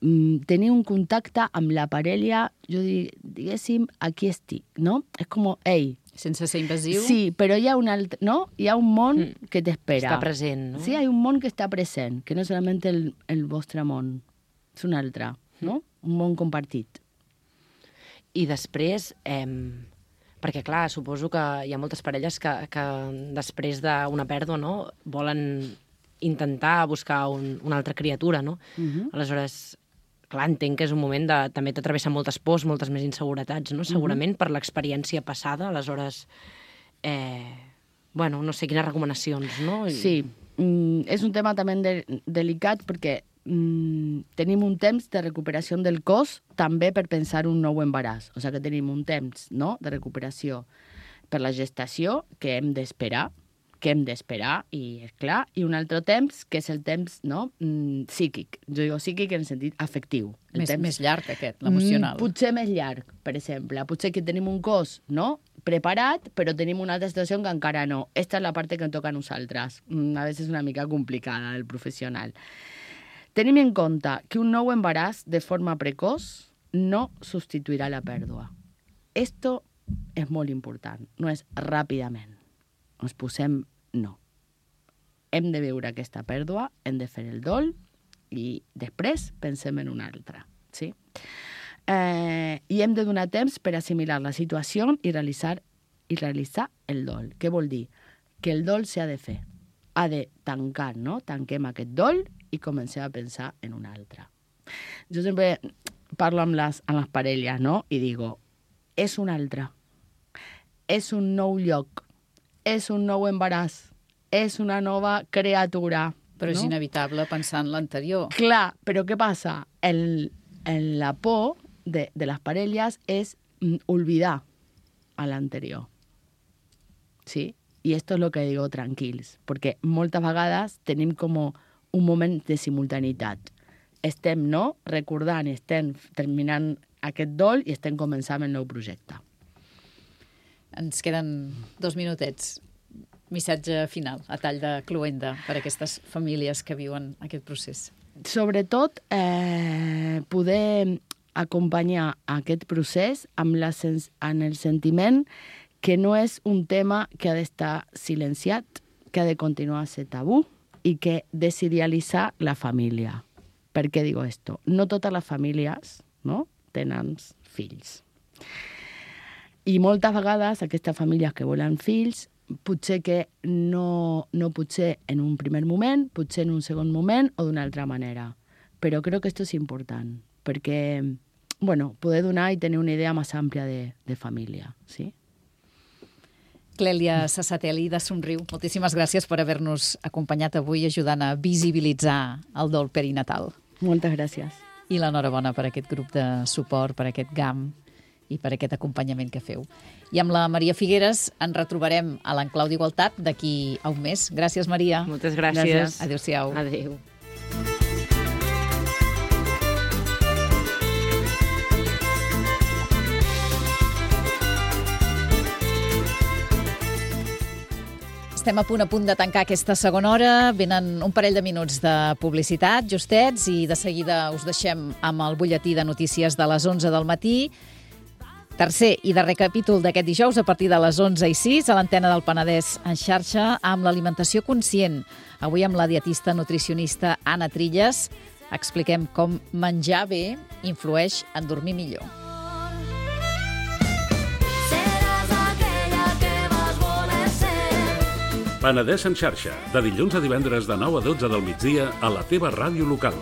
mm, tenir un contacte amb la parella, jo diguéssim, aquí estic, no? És com, ei... Sense ser invasiu? Sí, però hi ha un altre, no? Hi ha un món mm. que t'espera. Està present, no? Sí, hi ha un món que està present, que no és solament el, el vostre món, és un altre, no? Un món compartit. I després, eh, perquè clar, suposo que hi ha moltes parelles que, que després d'una pèrdua, no?, volen intentar buscar un, una altra criatura, no? Uh-huh. Aleshores, clar, entenc que és un moment de... també t'atravessa moltes pors, moltes més inseguretats, no? Segurament, uh-huh. per l'experiència passada. Aleshores, eh, bueno, no sé quines recomanacions, no? I... Sí, mm, és un tema també de, delicat perquè mm, tenim un temps de recuperació del cos també per pensar un nou embaràs. O sigui que tenim un temps, no?, de recuperació per la gestació que hem d'esperar, que hem d'esperar, i és clar, i un altre temps, que és el temps, no?, mm, psíquic. Jo digo psíquic en el sentit afectiu. El Més, temps... més llarg, aquest, l'emocional. Mm, potser més llarg, per exemple. Potser que tenim un cos, no?, preparat, però tenim una altra situació que encara no. Esta és la part que ens toca a nosaltres. Mm, a vegades és una mica complicada, del professional. Tenim en compte que un nou embaràs de forma precoç no substituirà la pèrdua. Esto és molt important. No és ràpidament. Ens posem no. Hem de veure aquesta pèrdua, hem de fer el dol i després pensem en una altra. Sí? Eh, I hem de donar temps per assimilar la situació i realitzar, i realitzar el dol. Què vol dir? Que el dol s'ha de fer. Ha de tancar, no? Tanquem aquest dol i comencem a pensar en un altre. Jo sempre parlo amb les, amb les parelles, no? I digo, és un altre. És un nou lloc. És un nou embaràs. és una nova criatura. Però és no? inevitable pensar en l'anterior. Clar, però què passa? El, el, la por de, de les parelles és mm, olvidar a l'anterior. Sí? I esto es lo que digo tranquils, perquè moltes vegades tenim com un moment de simultaneïtat. Estem, no?, recordant, estem terminant aquest dol i estem començant el nou projecte. Ens queden dos minutets. Missatge final, a tall de cluenda, per a aquestes famílies que viuen aquest procés. Sobretot, eh, poder acompanyar aquest procés amb, la sens amb el sentiment que no és un tema que ha d'estar silenciat, que ha de continuar a ser tabú i que desidealitzar la família. Per què digo esto? No totes les famílies, no?, tenen fills. I moltes vegades aquestes famílies que volen fills, potser que no, no potser en un primer moment, potser en un segon moment o d'una altra manera. Però crec que esto és important, perquè, bueno, poder donar i tenir una idea més àmplia de, de família, sí? Clèlia Sassatelli, de Somriu, moltíssimes gràcies per haver-nos acompanyat avui ajudant a visibilitzar el dol perinatal. Moltes gràcies. I l'enhorabona per aquest grup de suport, per aquest G A M i per aquest acompanyament que feu. I amb la Maria Figueres ens retrobarem a l'Enclau d'Igualtat d'aquí a un mes. Gràcies, Maria. Moltes gràcies. gràcies. Adéu-siau. Adéu. Estem a punt a punt de tancar aquesta segona hora. Venen un parell de minuts de publicitat, justets, i de seguida us deixem amb el butlletí de notícies de les onze del matí. Tercer i darrer capítol d'aquest dijous a partir de les onze i sis a l'antena del Penedès en xarxa amb l'alimentació conscient. Avui amb la dietista nutricionista Anna Trilles expliquem com menjar bé influeix en dormir millor. Penedès en xarxa, de dilluns a divendres de nou a dotze del migdia a la teva ràdio local.